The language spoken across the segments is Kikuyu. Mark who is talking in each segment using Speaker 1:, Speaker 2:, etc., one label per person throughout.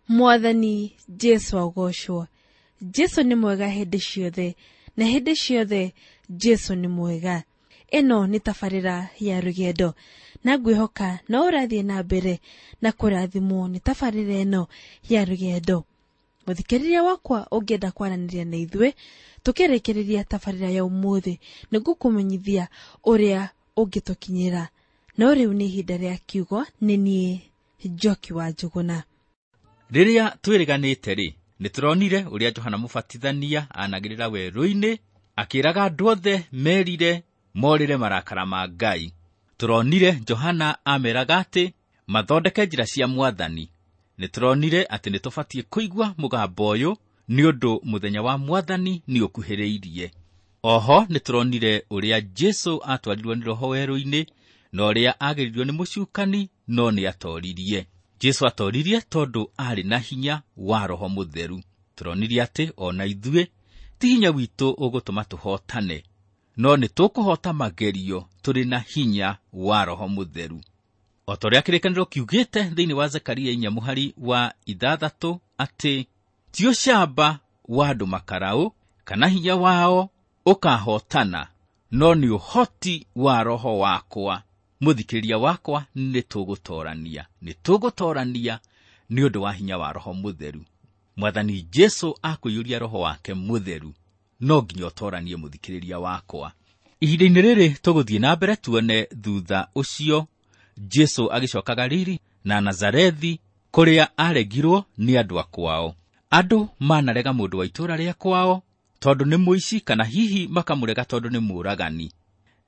Speaker 1: Mwathani Jesu agocwo. Jesu nĩ mwega hĩndĩ ciothe, na hĩndĩ ciothe Jesu nĩ mwega. Ĩno nĩ tabarĩra ya rũgendo, na ngwĩhoka no ũrathiĩ na mbere na kũrathimwo nĩ tabarĩra ĩno ya rũgendo. Mũthikĩrĩria wakwa, ũngĩenda kwaranĩria na ithuĩ tũkĩrĩkĩrĩria tabarĩra ya ũmũthĩ, nĩngũkũmenyithia ũrĩa ũngĩtũkinyĩra. No rĩu nĩ ihinda rĩa kiugo. Nĩ niĩ Njoki wa Njũgũna.
Speaker 2: Rĩrĩa twĩrĩganĩte rĩ, nĩ tũronire ũrĩa Johana Mũbatithania anagĩrĩra werũ-inĩ akĩraga andũ othe merire morĩre marakara ma Ngai. Tũronire Johana ameraga atĩ mathondeke njĩra cia Mwathani. Nĩ tũronire atĩ nĩ tũbatiĩ kũigua mũgambo ũyũ nĩ ũndũ mũthenya wa Mwathani nĩ ũkuhĩrĩirie. Oho nĩ tũronire ũrĩa Jesu atwarirwo nĩ Roho werũ-inĩ na ũrĩa ageririo nĩ mũcukani, no nĩ atoririe. Jesu atoririe tondũ aarĩ na hinya wa Roho Mũtheru. Tũronire atĩ ona ithuĩ ti hinya witũ ũgũtũma tũhotane, no nĩ tũkũhota magerio tũrĩ na hinya wa Roho Mũtheru. O ta ũrĩa kĩrĩkanĩro kiugĩte thĩinĩ wa Zekaria 4 mũhari wa 6 atĩ ti ũcamba wa andũ makaraũ kana hinya wao ũkahotana, no nĩ ũhoti wa Roho wakwa. Mũthikĩrĩria wakwa, nĩ tũgũtorania, nĩ tũgũtorania nĩ ũndũ wa hinya wa Roho Mũtheru. Mwathani Jesu akũiyũria Roho wake Mũtheru, no nginya ũtoranie, mũthikĩrĩria wakwa. Ihinda-inĩ rĩrĩ tũgũthiĩ na mbere tuone thutha ũcio Jesu agĩcoka Galili na Nazarethi, kũrĩa aregirwo nĩ andũ a kwao. Andũ manarega mũndũ wa itũũra rĩa kwao tondũ nĩ mũici, kana hihi makamũrega tondũ nĩ mũũragani,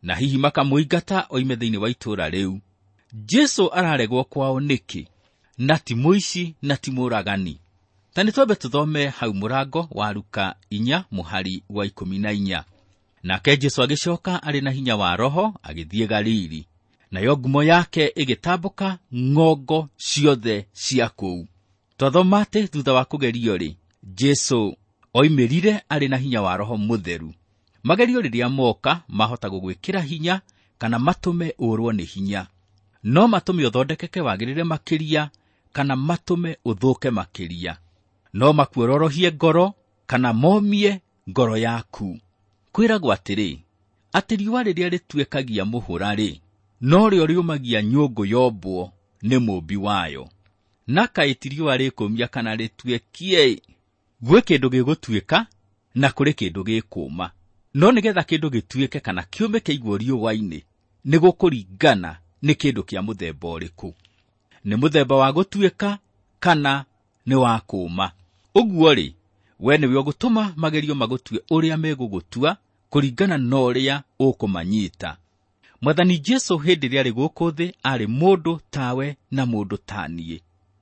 Speaker 2: na hihi makamũingata oime thĩinĩ wa itũũra rĩu. Jesu araregwo kwao nĩkĩ? Na ti mũici na ti mũũragani. Ta nĩ twambe tũthome hau mũrango wa Luka 4 mũhari wa 14. Nake Jesu agĩcoka arĩ na hinya wa Roho agĩthiĩ Galili, nayo ngumo yake ĩgĩtambũka ng'ongo ciothe cia kũu. Twathoma atĩ thutha wa kũgerio rĩ, Jesu oimĩrire arĩ na hinya wa Roho Mũtheru. Magerio rĩrĩa moka mahota gũgwĩkĩra hinya kana matũme ũrwo nĩ hinya. No matũme ũthondekeke wagĩrĩre makĩria kana matũme ũthũke makĩria. No makuororohie ngoro kana momie ngoro yaku. Kwĩragwo atĩrĩ, atĩ riũa rĩrĩa rĩtuĩkagia mũhũra rĩ, no rĩo rĩũmagia nyũngũ yombwo nĩ mũũmbi wayo. Na kaĩ ti riũa rĩkũmia kana rĩtuĩkie? Gwĩ kĩndũ gĩgũtuĩka na kũrĩ kĩndũ gĩkũma. No nĩgetha kĩndũ gĩtuĩke kana kĩũme kĩigwo riũa-inĩ, nĩ gũkũringana nĩ kĩndũ kĩa mũthemba ũrĩkũ. Nĩ mũthemba wa gũtuĩka kana nĩ wa kũma. Ũguo rĩ, we nĩwe ũgũtũma magerio magũtue ũrĩa megũgũtua kũringana na ũrĩa ũkũmanyita. Mwathani Jesu hĩndĩ ĩrĩa arĩ gũkũ thĩ arĩ mũndũ tawe na mũndũ ta niĩ,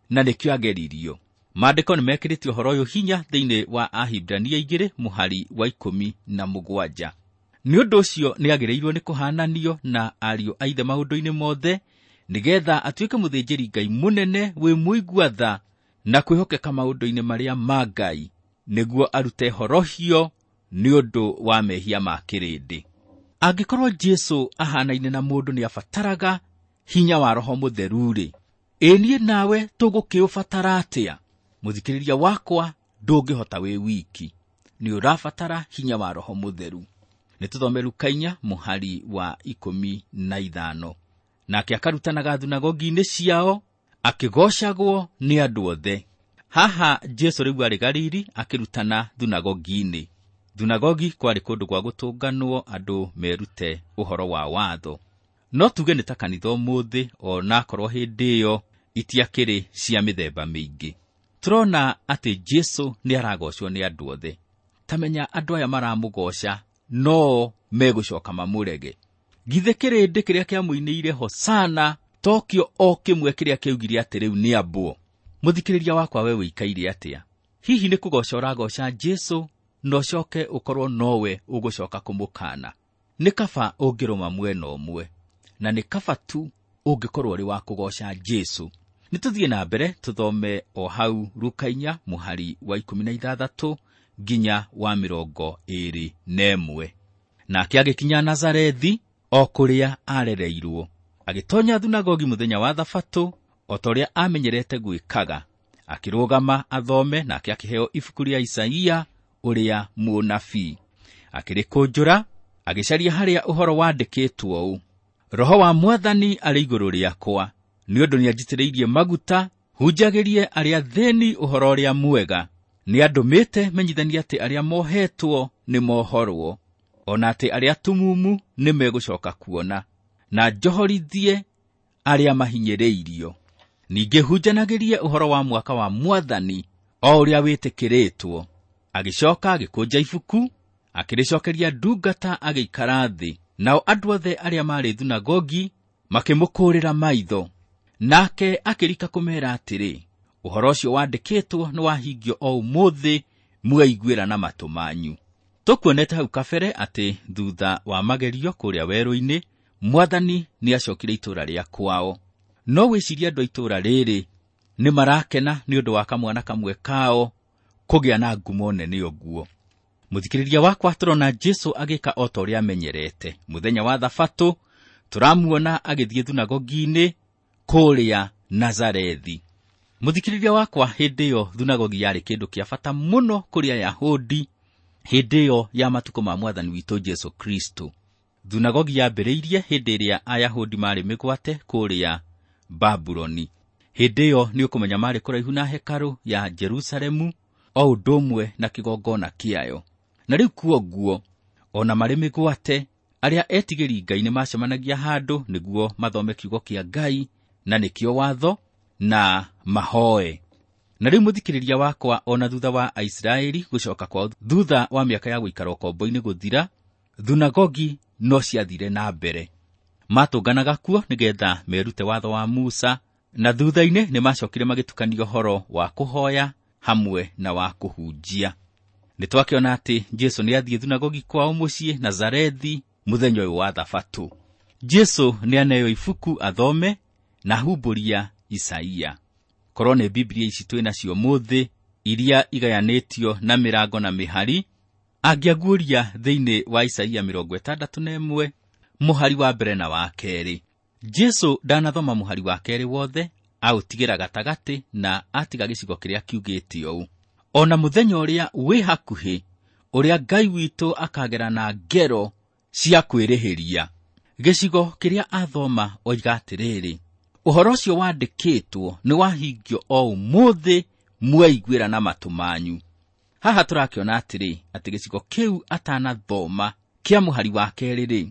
Speaker 2: na nĩkĩo ageririo. Maandĩko nĩ mekĩrĩte ũhoro ũyũ hinya thĩinĩ wa Ahibirania 2 mũhari wa 17. Nĩ ũndũ ũcio nĩ agĩrĩirwo nĩ kũhananio na ariũ a ithe maũndũ-inĩ mothe, nĩgetha atuĩke mũthĩnjĩri Ngai mũnene wĩ mũigua tha na kwĩhokeka maũndũ-inĩ marĩa ma Ngai, nĩguo arute horohio nĩ ũndũ wa mehia ma kĩrĩndĩ. Angĩkorwo Jesu ahanaine na mũndũ nĩ abataraga hinya wa Roho Mũtheru-rĩ, ĩ niĩ nawe tũgũkĩũbatara atĩa? Mũthikĩrĩria wakwa, ndũngĩhota wĩ wiki, nĩ ũrabatara hinya wa Roho Mũtheru. Nĩ tũthome Luka 4 mũhari wa 15. Nake akarutanaga thunagogi-inĩ ciao, akĩgocagwo nĩ andũ othe. Haha Jesu rĩu arĩ Galili akĩrutana thunagogi-inĩ. Thunagogi kwarĩ kũndũ gwa gũtũnganwo andũ merute ũhoro wa watho. No tuge nĩ ta kanitha ũmũthĩ, onakorwo hĩndĩ ĩyo itiakĩrĩ cia mĩthemba mĩingĩ. Tũrona atĩ Jesu nĩ aragocwo nĩ andũ othe. Ta menya andũ aya maramũgoca no megũcoka mamũrege. Githĩ kĩrĩndĩ kĩrĩa kĩamũinĩire Hosana tokĩo o kĩmwe kĩrĩa kĩaugire atĩ rĩu nĩ ambwo? Mũthikĩrĩria wakwa, we wĩikaire atĩa? Hihi nĩ kũgoca ũragoca Jesu na ũcoke ũkorwo nowe ũgũcoka kũmũkana? Nĩ kaba ũngĩrũma mwena ũmwe, na nĩ kaba tu ũngĩkorwo ũrĩ wa kũgoca Jesu. Nĩ tũthiĩ na mbere tũthome o hau Luka 4 mũhari wa 16 nginya wa 21. Nake agĩkinya Nazarethi o kũrĩa arereirwo, agĩtonya thunagogi mũthenya wa Thabatũ o ta ũrĩa amenyerete gwĩkaga. Akĩrũgama athome, nake akĩheo ibuku rĩa Isaia ũrĩa mũnabii. Akĩrĩkũnjũra, agĩcaria harĩa ũhoro wandĩkĩtwo ũũ: Roho wa Mwathani arĩ igũrũ rĩakwa, nĩ ũndũ nĩanjitĩrĩirie maguta hunjagĩrie arĩa athĩĩni ũhoro ũrĩa mwega. Nĩandũmĩte menyithanie atĩ arĩa mohetwo nĩmohorwo, o na atĩ arĩa atumumu nĩmegũcoka kuona, na njohorithie arĩa mahinyĩrĩirio. Ningĩ hunjanagĩrie ũhoro wa mwaka wa Mwathani o ũrĩa wĩtĩkĩrĩtwo. Agĩcoka agĩkũnja ibuku, akĩrĩcokeria ndungata, agĩikara thĩ. Nao andũ othe arĩa maarĩ thunagogi makĩmũkũũrĩra maitho. Nake akĩrika kũmeera atĩrĩ, ũhoro ũcio wandĩkĩtwo nĩwahingio o ũmũthĩ, mwaiguĩra na matũ manyu. Tũkuonete hau kabere atĩ thutha wa magerio kũrĩa werũ-inĩ, Mwathani nĩacokire itũũra rĩa kwao. No wĩcirie andũ a itũũra rĩrĩ nĩmarakena nĩ ũndũ wa kamwana kamwe kao kũgĩa na ngumo nene ũguo. Mũthikĩrĩria wakwa, tũrona Jesũ agĩka o ta ũrĩa amenyerete. Mũthenya wa Thabatũ tũramuona agĩthiĩ thunagogi-inĩ kũrĩa Nazarethi. Mũthikĩrĩria wakwa, hĩndĩ ĩyo thunagogi yarĩ kĩndũ kĩa bata mũno kũrĩ Ayahudi hĩndĩ ĩyo ya matukũ ma Mwathani witũ Jesũ Kristo. Thunagogi yambĩrĩirie hĩndĩ ĩrĩa Ayahudi marĩ mĩgwate kũrĩa Babuloni. Hĩndĩ ĩyo nĩ ũkũmenya marĩ kũraihu na hekarũ ya Jerusalemu o ũndũ ũmwe na kĩgongona kĩayo. Na rĩu kuoguo, ona marĩ mĩgwate, arĩa etigĩri Ngai nĩmacemanagia handũ nĩguo mathome kiugo kĩa Ngai, na nĩkĩo watho, na mahoe. Na rĩu mũthikĩrĩria wakwa, ona thutha wa Aisiraeli gũcoka kwao thutha wa mĩaka ya gũikara ũkombo-inĩ gũthira, thunagogi no ciathire na mbere. Matũnganaga kuo nĩgetha merute watho wa Musa, na thutha-inĩ nĩmacokire magĩtukania ũhoro wa kũhoya hamwe na wa kũhunjia. Nĩtwakĩona atĩ Jesũ nĩathiĩ thunagogi kwao mũciĩ Nazarethi mũthenya ũyũ wa Thabatũ. Jesũ nĩaneo ibuku athome na ahumbũria Isaia. Korwo nĩ Biblia ici twĩ nacio mũthĩ, iria igayanĩtio na mĩrango na mĩhari, angĩaguũria thĩinĩ wa Isaia 61 mũhari wa mbere na wa kerĩ. Jesũ ndanathoma mũhari wa kerĩ wothe, aũtigĩra gatagatĩ na atiga gĩcigo kĩrĩa kiugĩte ũũ: ona mũthenya ũrĩa wĩ hakuhĩ, ũrĩa Ngai witũ akagera na ngero cia kwĩrĩhĩria. Gĩcigo kĩrĩa athoma oiga atĩrĩrĩ, ũhoro ũcio wandĩkĩtwo nĩwahingio o ũmũthĩ, mwaiguĩra na matũ manyu. Haha tũrakĩona atĩrĩ, atĩ gĩcigo kĩu atanathoma kĩa mũhari wa kerĩ rĩ,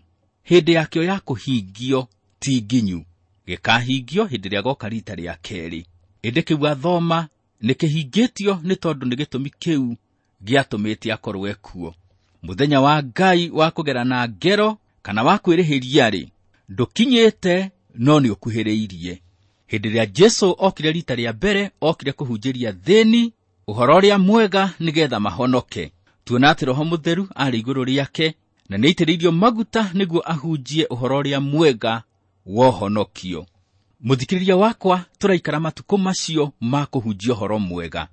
Speaker 2: hĩndĩ yakĩo ya kũhingio ti nginyu, gĩkahingio hĩndĩ ĩrĩa goka rita rĩa kerĩ. Ĩndĩ kĩu athoma nĩkĩhingĩtio nĩ tondũ nĩ gĩtũmi kĩu gĩatũmĩte akorwo ekuo. Mũthenya wa Ngai wa kũgera na ngero kana wa kwĩrĩhĩria rĩ, ndũkinyĩte no nĩũkuhĩrĩirie. Hĩndĩ ĩrĩa Jesũ okire rita rĩa mbere, okire kũhunjĩria thĩni ũhoro ũrĩa mwega nĩgetha mahonoke. Tuona atĩ Roho Mũtheru arĩ igũrũ rĩake na nĩaitĩrĩirio maguta nĩguo ahunjie ũhoro ũrĩa mwega wa ũhonokio. Mũthikĩrĩria wakwa, tũraikara matukũ macio ma kũhunjia ũhoro mwega.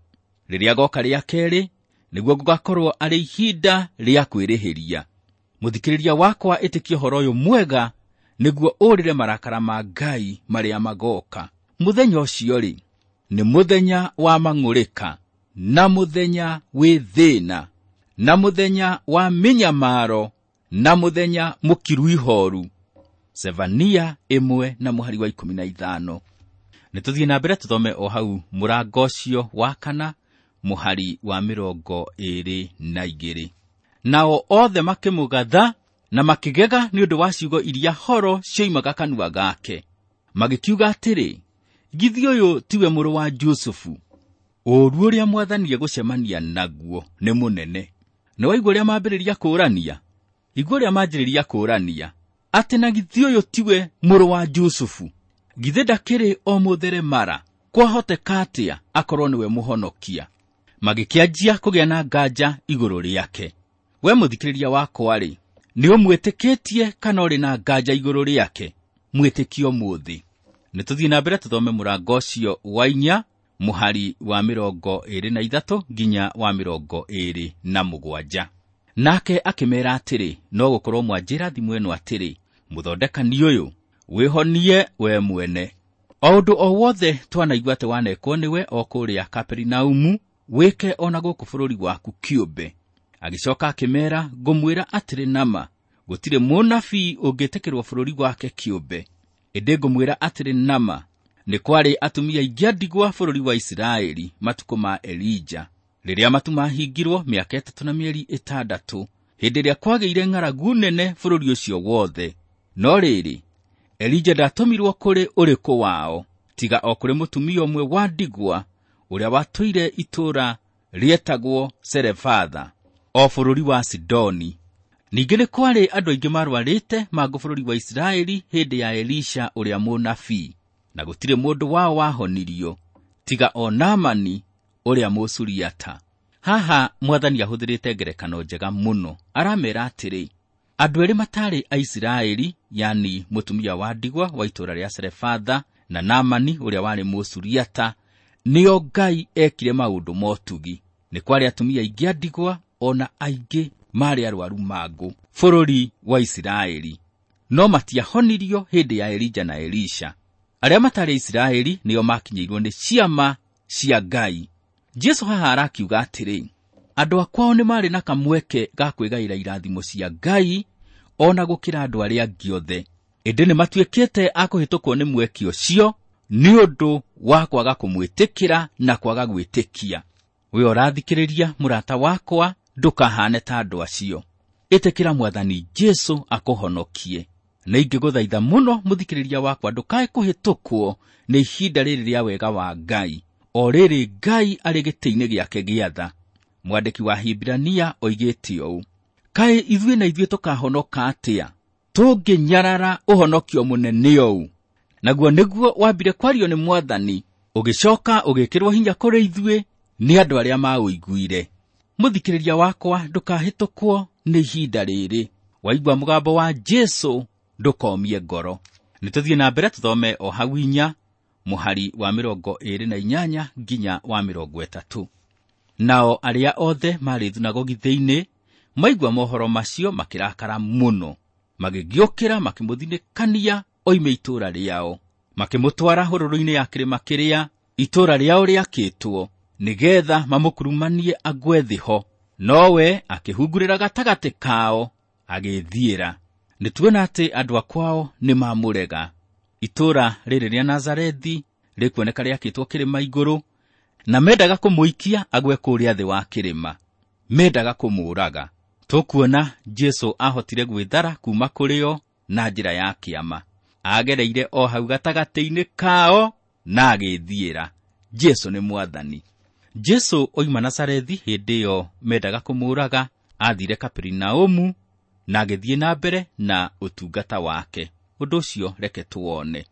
Speaker 2: Rĩrĩa goka rĩa kerĩ, nĩguo gũgakorwo arĩ ihinda rĩa kwĩrĩhĩria. Mũthikĩrĩria wakwa, ĩtĩkia ũhoro ũyũ mwega nĩguo ũrĩre marakara ma Ngai marĩa magoka. Mũthenya ũcio rĩ, nĩ mũthenya wa mang'ũrĩka, na mũthenya wĩ thĩna, na mũthenya wa mĩnyamaro, na mũthenya mũkiru ihoru. Zefania 1 na mũhari wa 15. Nĩtũthiĩ na mbere tũthome o hau mũrango ũcio wa 4 mũhari wa 22. Nao othe makĩmũgatha na makĩgega nĩ ũndũ wa ciugo iria horo cioimaga kanua gake, magĩkiuga atĩrĩ, githĩ ũyũ tiwe mũrũ wa Jusufu? Ũũru ũrĩa Mwathani egũcemania naguo nĩ mũnene. Nĩ waigua ũrĩa mambĩrĩria kũũrania? Igua ũrĩa manjĩrĩria kũũrania, atĩ na githĩ ũyũ tiwe mũrũ wa Jusufu? Githĩ ndakĩrĩ o mũtheremara? Kwahoteka atĩa akorwo nĩwe mũhonokia? Magĩkĩanjia kũgĩa na nganja igũrũ rĩake. We mũthikĩrĩria wakwa rĩ, nĩ ũmwĩtĩkĩtie kana ũrĩ na nganja igũrũ rĩake? Mwĩtĩkie ũmũthĩ. Nĩtũthiĩ na mbere tũthome mũrango ũcio wa 4 mũhari wa 23 nginya wa 27. Nake akĩmeera atĩrĩ, no gũkorwo mwanjĩra thimo ĩno atĩrĩ, mũthondekani ũyũ, wĩhonie we mwene. O ũndũ o wothe twanaigua atĩ wanekwo nĩwe o kũrĩa Kaperinaumu, wĩke o na gũkũ bũrũri waku kĩũmbe. Agĩcoka akĩmeera, ngũmwĩra atĩrĩ nama, gũtirĩ mũnabii ũngĩtĩkĩrwo bũrũri wake kĩũmbe. Ĩndĩ ngũmwĩra atĩrĩ nama, nĩ kwarĩ atumia aingĩ a ndigwa bũrũri wa Isiraeli matukũ ma Elija, rĩrĩa matu mahingirwo mĩaka 3 na mĩeri 6, hĩndĩ ĩrĩa kwagĩire ng'aragu nene bũrũri ũcio wothe. No rĩrĩ, Elija ndatũmirwo kũrĩ ũrĩkũ wao, tiga o kũrĩ mũtumia ũmwe wa ndigwa ũrĩa watũire itũũra rĩetagwo Serefatha, o bũrũri wa Sidoni. Ningĩ nĩ kwarĩ andũ aingĩ marwarĩte mangũ bũrũri wa Isiraeli hĩndĩ ya Elisha ũrĩa mũnabii, na gũtirĩ mũndũ wao wahonirio, tiga o Naamani ũrĩa Mũsuriata. Haha mwathani ahũthĩrĩte ngerekano njega mũno. Aramera atĩrĩ, andũ erĩ matarĩ Aisiraeli, yani mũtumia wa ndigwa wa itũũra rĩa Serefatha na Naamani ũrĩa warĩ Mũsuriata, nĩo Ngai ekire maũndũ motugi. Nĩ kwarĩ atumia aingĩ a ndigwa o na aingĩ marĩ arwaru mangũ bũrũri wa Isiraeli, no matiahonirio hĩndĩ ya Elija na Elisha. Arĩa matarĩ Isiraeli nĩo makinyĩirwo nĩ ciama cia Ngai. Jesu haha arakiuga atĩrĩ, andũ akwao nĩ marĩ na kamweke ga kwĩgaĩra irathimo cia Ngai o na gũkĩra andũ arĩa angĩ othe, ĩndĩ nĩ matuĩkĩte a kũhĩtũkwo nĩ mweke ũcio nĩ ũndũ wa kwaga kũmwĩtĩkĩra na kwaga gwĩtĩkia. We ũrathikĩrĩria mũrata wakwa, ndũkahane ta andũ acio. Ĩtĩkĩra mwathani Jesu akũhonokie. Na ingĩgũthaitha mũno mũthikĩrĩria wakwa, ndũkae kũhĩtũkwo nĩ ihinda rĩrĩ rĩa wega wa Ngai, o rĩrĩ Ngai arĩ gĩtĩ-inĩ gĩake gĩa tha. Mwandĩki wa Hibirania oigĩte ũũ, kaĩ ithuĩ na ithuĩ tũkahonoka atĩa tũngĩnyarara ũhonokio mũnene ũũ? Naguo nĩguo wambire kwario nĩ mwathani, ũgĩcoka ũgĩkĩrwo hinya kũrĩ ithuĩ nĩ andũ arĩa maũiguire. Mũthikĩrĩria wakwa, ndũkahĩtũkwo nĩ ihinda rĩrĩ. Waigua mũgambo wa Jesu, ndũkomie ngoro. Nĩ tũthiĩ na mbere tũthome o hau 4 mũhari wa 28 nginya wa 30. Nao arĩa othe marĩ thunagogi thĩinĩ maigua mohoro macio makĩrakara mũno, magĩgĩũkĩra makĩmũthinĩkania oime itũũra rĩao, makĩmũtwara hũrũrũ-inĩ ya kĩrĩma kĩrĩa itũũra rĩao rĩakĩtwo, nĩgeetha mamũkurumanie agwe thĩ ho. Nowe akĩhungurĩra gatagatĩ kao agĩthiĩra. Nĩ tuona atĩ andũ akwao nĩ mamũrega. Itũũra rĩrĩ rĩa Nazarethi rĩkuoneka rĩakĩtwo kĩrĩma igũrũ, na mendaga kũmũikia agwe kũrĩa thĩ wa kĩrĩma, mendaga kũmũũraga. Tũkuona Jesu ahotire gwĩthara kuma kũrĩ o na njĩra ya kĩama. Agereire o hau gatagatĩ-inĩ kao na agĩthiĩra. Jesu nĩ mwathani. Jesu oima Nazarethi hĩndĩ ĩyo mendaga kũmũũraga, athire Kaperinaumu na agĩthiĩ na mbere na ũtungata wake. Ũndũ ũcio reke tuone.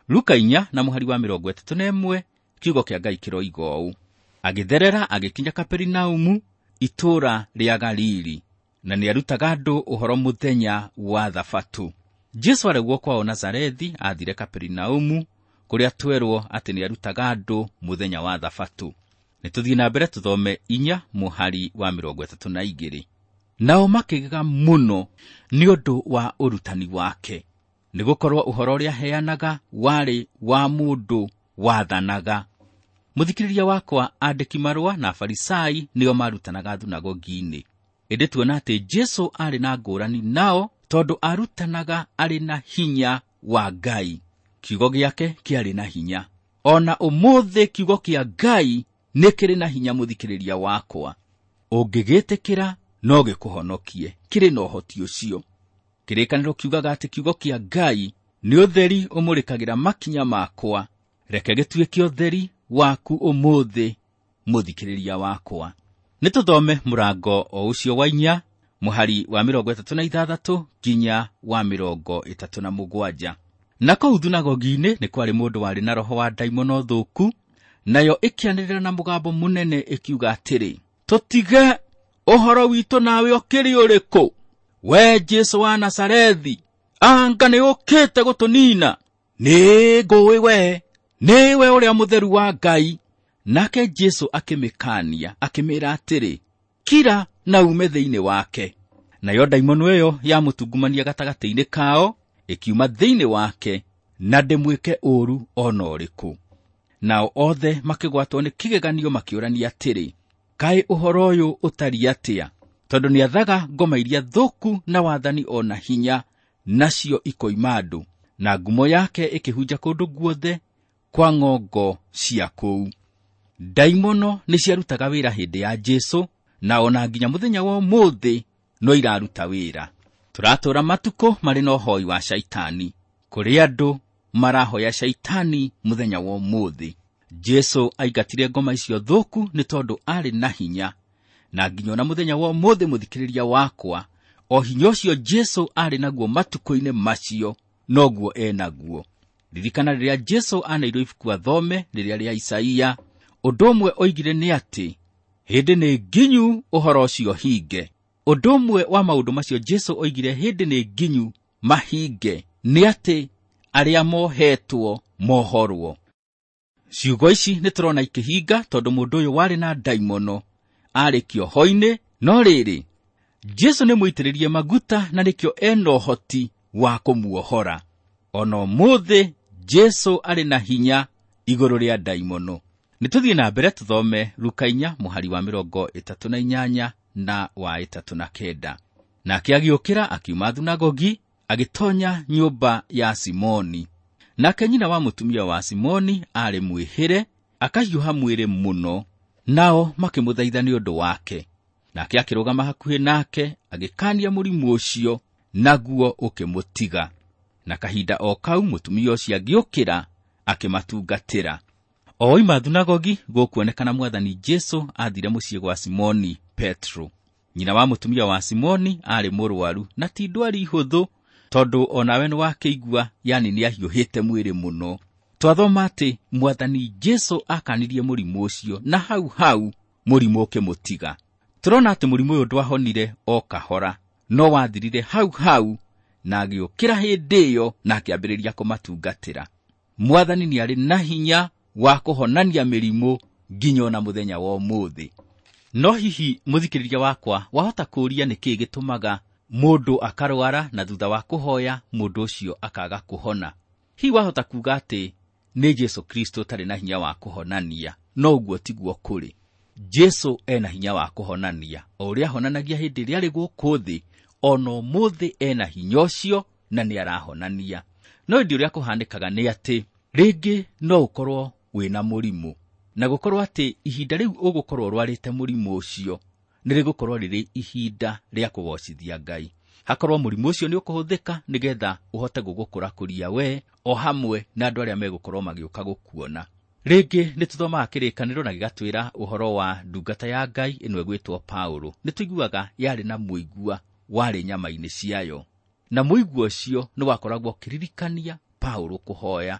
Speaker 2: Luka 4 na mũhari wa 31, kiugo kĩa Ngai kĩroiga ũũ, agĩtherera agĩkinya Kaperinaumu, itũũra rĩa Galili, na nĩarutaga andũ ũhoro mũthenya wa Thabatũ. Jesu aregwo kwao Nazarethi, athire Kaperinaumu, kũrĩa twerwo atĩ nĩarutaga andũ mũthenya wa Thabatũ. Nĩ tũthiĩ na mbere tũthome 4 mũhari wa 32. Nao makĩgega mũno nĩ ũndũ wa ũrutani wake, nĩgũkorwo ũhoro ũrĩa aheanaga warĩ wa mũndũ wathanaga. Mũthikĩrĩria wakwa, andĩki marũa na Afarisai nĩo marutanaga thunagogi-inĩ. Ĩndĩ tuona atĩ Jesu arĩ na ngũrani nao, tondũ arutanaga arĩ na hinya wa Ngai. Kiugo gĩake kĩarĩ na hinya. O na ũmũthĩ kiugo kĩa Ngai nĩ kĩrĩ na hinya, mũthikĩrĩria wakwa. Ũngĩgĩtĩkĩra no gĩkũhonokie, kĩrĩ na ũhoti ũcio. Kĩrĩkanĩro kiugaga atĩ kiugo kĩa Ngai nĩ ũtheri ũmũrĩkagĩra makinya makwa. Reke gĩtuĩke ũtheri waku ũmũthĩ, mũthikĩrĩria wakwa. Nĩ tũthome mũrango o ũcio wa 4 mũhari wa 36 nginya wa 37. Na kũu thunagogi-inĩ nĩ kwarĩ mũndũ warĩ na roho wa ndaimono thũku, nayo ĩkĩanĩrĩra na mũgambo mũnene ĩkiuga atĩrĩ, tũtige, ũhoro witũ nawe ũkĩrĩ ũrĩkũ? We Jesu wa Nazarethi, anga nĩ ũkĩte gũtũnina? Nĩ ngũĩ we, nĩwe ũrĩa mũtheru wa Ngai. Nake Jesu akĩmĩkaania, akĩmĩĩra atĩrĩ, kira na ume thĩinĩ wake. Nayo ndaimono ĩyo yamũtungumania gatagatĩ-inĩ kao, ĩkiuma thĩinĩ wake, na ndĩmwĩke ũũru o na ũrĩkũ. Nao othe makĩgwatwo nĩ kĩgeganio makĩũrania atĩrĩ, kaĩ ũhoro ũyũ ũtariĩ atĩa? Tondũ nĩathaga ngoma iria thũku na wathani o na hinya, nacio ikoima andũ. Na ngumo yake ĩkĩhunja kũndũ guothe kwa ng'ongo cia kũu. Ndaimono nĩciarutaga wĩra hĩndĩ ya Jesũ, na ona nginya mũthenya wa ũmũthĩ no iraruta wĩra. Tũratũũra matukũ marĩ na ũhoi wa Shaitani, kũrĩ andũ marahoya Shaitani mũthenya wa ũmũthĩ. Jesũ aingatire ngoma icio thũku nĩ tondũ arĩ na hinya, na nginya ona mũthenya wa ũmũthĩ mũthikĩrĩria wakwa, o hinya ũcio Jesũ arĩ naguo matukũ-inĩ macio noguo enaguo. Ririkana rĩrĩa Jesũ aneirwo ibuku athome rĩrĩa rĩa Isaia, ũndũ ũmwe oigire nĩ atĩ hĩndĩ nĩ nginyu ũhoro ũcio hinge. Ũndũ ũmwe wa maũndũ macio Jesũ oigire hĩndĩ nĩ nginyu mahinge nĩ atĩ arĩa mohetwo mohorwo. Ciugo ici nĩ tũrona ikĩhinga tondũ mũndũ ũyũ warĩ na ndaimono arĩ kĩoho-inĩ, no rĩrĩ Jesũ nĩ mũitĩrĩrie maguta na nĩkĩo ena ũhoti wa kũmuohora. Ona ũmũthĩ Jesũ arĩ na hinya igũrũ rĩa ndaimono. Nĩ tũthiĩ na mbere tũthome Luka 4 mũhari wa 38 na wa 39. Nake agĩũkĩra akiuma thunagogi agĩtonya nyũmba ya Simoni. Nake nyina wa mũtumia wa Simoni aarĩ mwĩhĩre, akahiũha mwĩrĩ mũno, nao makĩmũthaitha nĩ ũndũ wake. Nake akĩrũgama hakuhĩ nake agĩkaania mũrimũ ũcio, naguo ũkĩmũtiga. Na kahinda o kau mũtumia ũcio agĩũkĩra akĩmatungatĩra. O oima thunagogi gũkuonekana mwathani Jesũ aathire mũciĩ gwa Simoni Petro. Nyina wa mũtumia wa Simoni aarĩ mũrwaru, na ti ndwari hũthũ, tondũ onawe nĩwakĩigua, yani nĩahiũhĩte mwĩrĩ mũno. Twathoma atĩ mwathani Jesũ akanirie mũrimũ ũcio, na hau hau mũrimũ ũkĩmũtiga. Tũrona atĩ mũrimũ ũyũ ndwahonire o kahora, no wathirire hau hau, na agĩũkĩra hĩndĩ ĩyo na akĩambĩrĩria kũmatungatĩra. Mwathani nĩarĩ na hinya wa kũhonania mĩrimũ nginya ona mũthenya wa ũmũthĩ. No hihi mũthikĩrĩria wakwa wahota kũũria nĩkĩĩ gĩtũmaga mũndũ akarwara na thutha wa kũhoya mũndũ ũcio akaga kũhona? Hihi wahota kuuga atĩ nĩ Jesũ Kristo ũtarĩ na hinya wa kũhonania? No ũguo tiguo kũrĩ. Jesũ ena hinya wa kũhonania, o ũrĩa ahonanagia hĩndĩ ĩrĩa arĩ gũkũ thĩ, ona ũmũthĩ ena hinya ũcio na nĩarahonania. No ĩndĩ ũrĩa kũhanĩkaga nĩ atĩ rĩngĩ no ũkorwo wĩna mũrimũ, na gũkorwo atĩ ihinda rĩu ũgũkorwo ũrwarĩte mũrimũ ũcio nĩ rĩgũkorwo rĩrĩ ihinda rĩa kũgocithia Ngai. Hakorwo mũrimũ ũcio nĩ ũkũhũthĩka nĩgetha ũhote gũgũkũrakũria we o hamwe na andũ arĩa megũkorwo magĩũka gũkuona. Rĩngĩ nĩ tũthomaga kĩrĩkanĩro na gĩgatwĩra ũhoro wa ndungata ya Ngai ĩno ĩgwĩtwo Paũlũ. Nĩ tũiguaga yarĩ na mũigua warĩ nyama-inĩ ciayo, na mũigua ũcio nĩ wakoragwo ũkĩririkania Paũlũ kũhoya.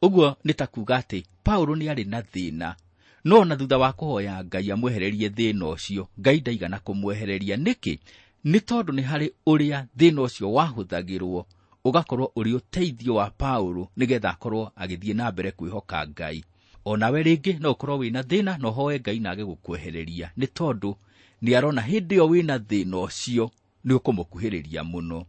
Speaker 2: Ũguo nĩ ta kuuga atĩ Paũlũ nĩ arĩ na thĩna, no ona thutha wa kũhoya Ngai amwehererie thĩna ũcio, Ngai ndaigana kũmwehereria. Nĩkĩ? Nĩ tondũ nĩ harĩ ũrĩa thĩna ũcio wahũthagĩrwo ũgakorwo ũrĩ ũteithio wa Paũlũ nĩgetha akorwo agĩthiĩ na mbere kwĩhoka Ngai. Onawe rĩngĩ no ũkorwo wĩna thĩna na ũhoe Ngai na age gũkwehereria, nĩ tondũ nĩ arona hĩndĩ ĩyo wĩna thĩna ũcio nĩ ũkũmũkuhĩrĩria mũno.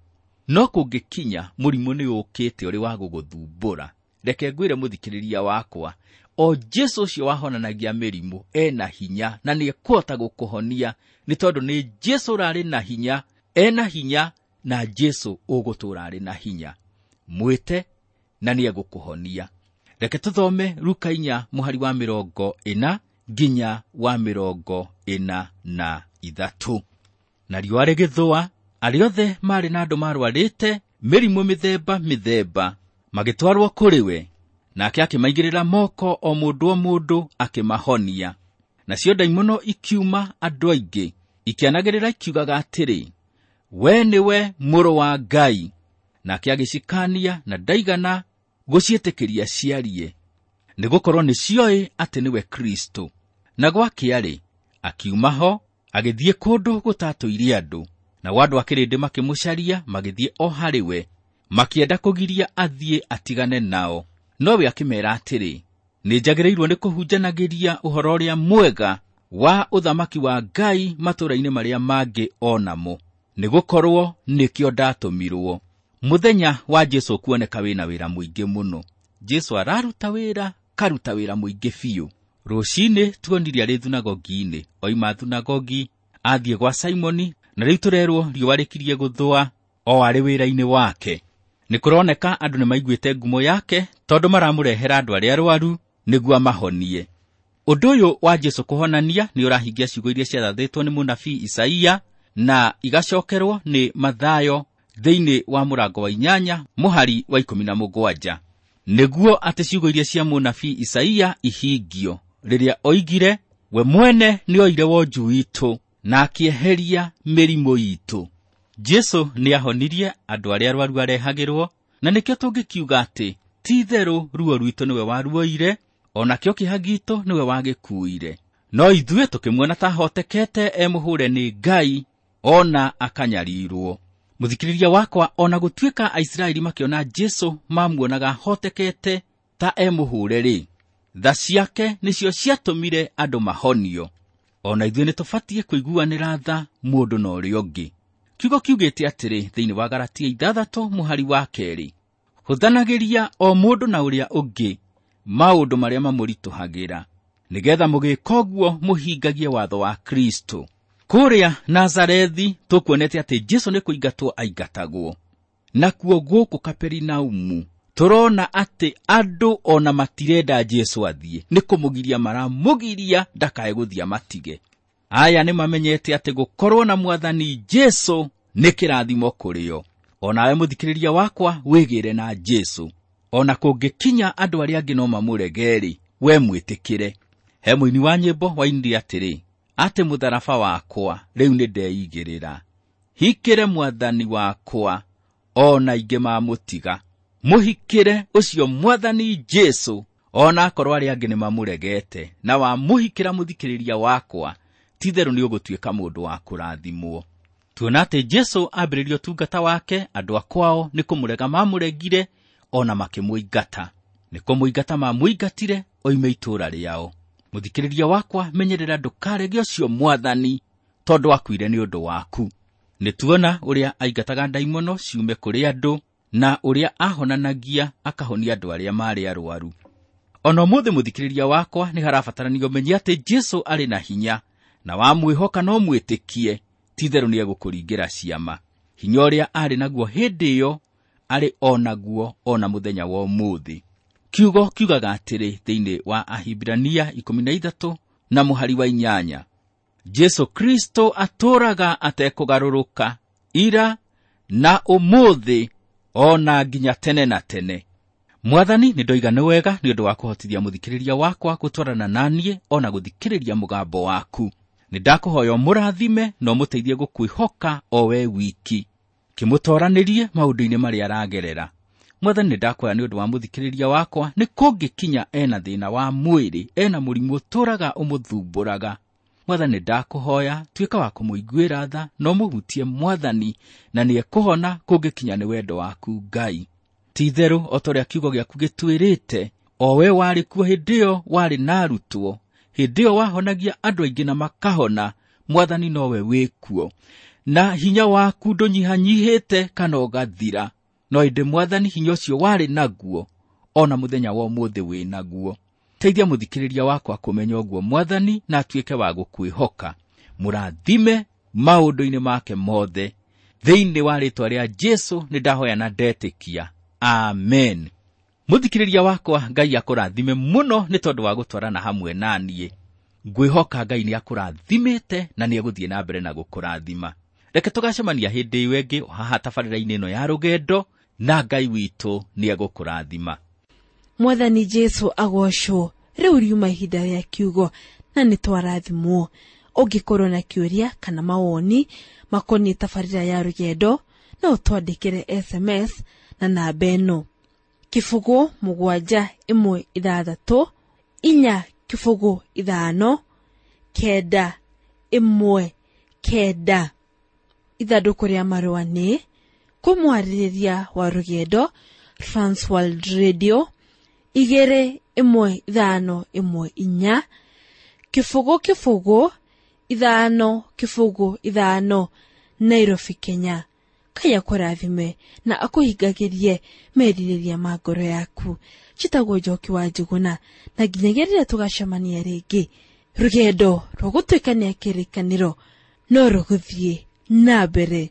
Speaker 2: No kũngĩkinya mũrimũ nĩ ũkĩte ũrĩ wa gũgũthumbũra, reke ngwĩre mũthikĩrĩria wakwa, o Jesũ ũcio wahonanagia mĩrimũ ena hinya na nĩekũhota gũkũhonia, nĩ tondũ nĩ Jesũ ũrarĩ na hinya, ena hinya na Jesũ ũgũtũũra arĩ na hinya. Mwĩte na nĩegũkũhonia. Reke tũthome Luka 4 mũhari wa 40 nginya wa 43. Na riũa rĩgĩthũa, arĩa othe maarĩ na andũ marwarĩte mĩrimũ mĩthemba mĩthemba magĩtwarwo kũrĩ we, nake akĩmaigĩrĩra moko o mũndũ o mũndũ akĩmahonia. Nacio ndaimono ikiuma andũ aingĩ ikĩanagĩrĩra ikiugaga atĩrĩ, we nĩwe mũrũ wa Ngai. Nake agĩcikaania na ndaigana gũciĩtĩkĩria ciarie, nĩgũkorwo nĩcioĩ atĩ nĩwe Kristo. Na gwakĩa-rĩ, akiuma ho agĩthiĩ kũndũ gũtatũire andũ, nao andũ a kĩrĩndĩ makĩmũcaria magĩthiĩ o harĩ we, makĩenda kũgiria athiĩ atigane nao. Nowe akĩmeera atĩrĩ, nĩnjagĩrĩirwo nĩ kũhunjanagĩria ũhoro ũrĩa mwega wa ũthamaki wa Ngai matũũra-inĩ marĩa mangĩ o namo, nĩgũkorwo nĩkĩo ndatũmirwo. Mũthenya wa Jesu kuoneka wĩna wĩra mũingĩ mũno. Jesu araruta wĩra, karuta wĩra mũingĩ biũ. Rũcinĩ tuonire arĩ thunagogi-inĩ, oima thunagogi athiĩ gwa Simoni, na rĩu tũrerwo riũa rĩkirie gũthũa o arĩ wĩra-inĩ wake. Nĩ kũroneka andũ nĩ maiguĩte ngumo yake tondũ maramũrehera andũ arĩa arwaru nĩguo amahonie. Ũndũ ũyũ wa Jesu kũhonania nĩ ũrahingia ciugo iria ciarathĩtwo nĩ mũnabii Isaia na igacokerwo nĩ Mathayo thĩinĩ wa mũrango wa 8 mũhari wa 17. Nĩguo atĩ ciugo iria cia mũnabii Isaia ihingio rĩrĩa oigire, we mwene nĩoire wonju witũ na akĩeheria mĩrimũ itũ. Jesu nĩahonirie andũ arĩa arwaru arehagĩrwo, na nĩkĩo tũngĩkiuga atĩ ti-itherũ ruo rwitũ nĩwe waruoire, o nakĩo kĩeha gitũ nĩwe wagĩkuire. No ithuĩ tũkĩmuona ta ahotekete emũhũre nĩ Ngai, ona akanyarirwo. Mũthikĩrĩria wakwa, ona gũtuĩka Aisiraeli makĩona Jesu mamuonaga ahotekete ta emũhũre-rĩ, tha ciake nĩcio ciatũmire andũ mahonio. Ona ithuĩ nĩtũbatiĩ kũiguanĩra tha mũndũ na ũrĩa ũngĩ. Kiugo kiugĩte atĩrĩ thĩinĩ wa Galatia 6 mũhari wa 2, hũthanagĩria o mũndũ na ũrĩa ũngĩ maũndũ marĩa mamũritũhagĩra, nĩgetha mũgĩka ũguo mũhingagie watho wa Kristo. Kũrĩa Nazarethi tũkuonete atĩ Jesu nĩ kũingatwo aingatagwo. Nakuo gũkũ Kaperinaumu tũrona atĩ andũ ona matirenda Jesu athiĩ, nĩ kũmũgiria maramũgiria ndakae gũthiĩ amatige. Aya nĩ mamenyete atĩ gũkorwo na mwathani Jesu nĩ kĩrathimo kũrĩ o. Onawe mũthikĩrĩria wakwa wĩgĩre na Jesu. Ona kũngĩkinya andũ arĩa angĩ no mamũrege-rĩ, we mwĩtĩkĩre. He mũini wa nyĩmbo wainire atĩrĩ, atĩ mũtharaba wakwa rĩu nĩ ndeigĩrĩra, hikĩre mwathani wakwa ona ingĩ mamũtiga. Mũhikĩre ũcio mwathani Jesu ona akorwo arĩa angĩ nĩ mamũregete, na wamũhikĩra mũthikĩrĩria wakwa, ti-itherũ nĩ ũgũtuĩka mũndũ wa kũrathimwo. Tuona atĩ Jesu ambĩrĩria ũtungata wake, andũ a kwao nĩ kũmũrega mamũregire, ona makĩmũingata. Nĩ kũmũingata mamũingatire oime itũũra rĩao. Mũthikĩrĩria wakwa, menyerera ndũkarege ũcio mwathani, tondũ akuire nĩ ũndũ waku. Nĩ tuona ũrĩa aingataga ndaimono ciume kũrĩ andũ, na ũrĩa ahonanagia akahonia andũ arĩa marĩ arwaru. Ona ũmũthĩ mũthikĩrĩria wakwa, nĩ harabatarania ũmenye atĩ Jesu arĩ na hinya, na wamwĩhoka no mwĩtĩkie, ti-itherũ nĩ egũkũringĩra ciama. Hinya ũrĩa arĩ naguo hĩndĩ ĩyo, arĩ o naguo ona mũthenya wa ũmũthĩ. Kiugo kiugaga atĩrĩ thĩinĩ wa Ahibirania 13 na mũhari wa 8, Jesu Kristo atũũraga atekũgarũrũka ira na ũmũthĩ ona nginya tene na tene. Mwathani, nĩ ndoiga nĩ wega nĩ ũndũ wa kũhotithia mũthikĩrĩria wakwa gũtwarana na niĩ ona gũthikĩrĩria mũgambo waku. Nĩ ndakũhoya ũmũrathime na ũmũteithie gũkwĩhoka o we wiki, kĩmũtoranĩrie maũndũ-inĩ marĩa aragerera. Mwathani, nĩ ndakũhoya nĩ ũndũ wa mũthikĩrĩria wakwa, nĩ kũngĩkinya ena thĩna wa mwĩrĩ, ena mũrimũ ũtũũraga ũmũthumbũraga. Mwathani, nĩ ndakũhoya tuĩka wa kũmũiguĩra tha na ũmũhutie Mwathani, na nĩ ekũhona kũngĩkinya nĩ wendo waku Ngai. Ti-itherũ o ta ũrĩa kiugo gĩaku gĩtwĩrĩte, o we warĩ kuo hĩndĩ ĩyo warĩ na arutwo, hĩndĩ ĩyo wahonagia andũ aingĩ na makahona, Mwathani nowe wĩ kuo. Na hinya waku ndũnyihanyihĩte kana ũgathira, no ĩndĩ Mwathani hinya ũcio warĩ naguo ona mũthenya wa ũmũthĩ wĩ naguo. Teithia mũthikĩrĩria wakwa kũmenya ũguo Mwathani, na atuĩke wa gũkwĩhoka. Mũrathime maũndũ-inĩ make mothe. Thĩinĩ wa rĩĩtwa rĩa Jesu nĩ ndahoya na ndetĩkia. Amen. Mũthikĩrĩria wakwa, Ngai akũrathime mũno nĩ tondũ wa gũtwarana hamwe na niĩ. Ngwĩhoka Ngai nĩ akũrathimĩte na nĩ egũthiĩ na mbere na gũkũrathima. Reke tũgacemania hĩndĩ ĩyo ĩngĩ haha tabarĩra-inĩ ĩno ya rũgendo, na Ngai witũ nĩ egũkũrathima.
Speaker 1: Mwathani Jesu agocwo. Rĩu riuma ihinda rĩa kiugo na nĩ twarathimwo. Ũngĩkorwo na kĩũria kana mawoni makoniĩ tabarĩra ya rũgendo, no ũtwandĩkĩre SMS na namba ĩno: 0 7 1 6 4 0 5 9 1 9. Ithandũkũ rĩa marũa nĩ kũmwarĩrĩria wa rũgendo, Transworld Radio 2 1 5 1 4 0 0 5 0 5, Nairobi, Kenya. Ngai akũrathime na akũhingagĩrie merirĩria ma ngoro yaku. Njĩtagwo Njoki wa Njũgũna, na nginyagia rĩrĩa tũgacemania rĩngĩ, rũgendo rwa gũtuĩkania kĩrĩkanĩro no rũgũthiĩ na mbere.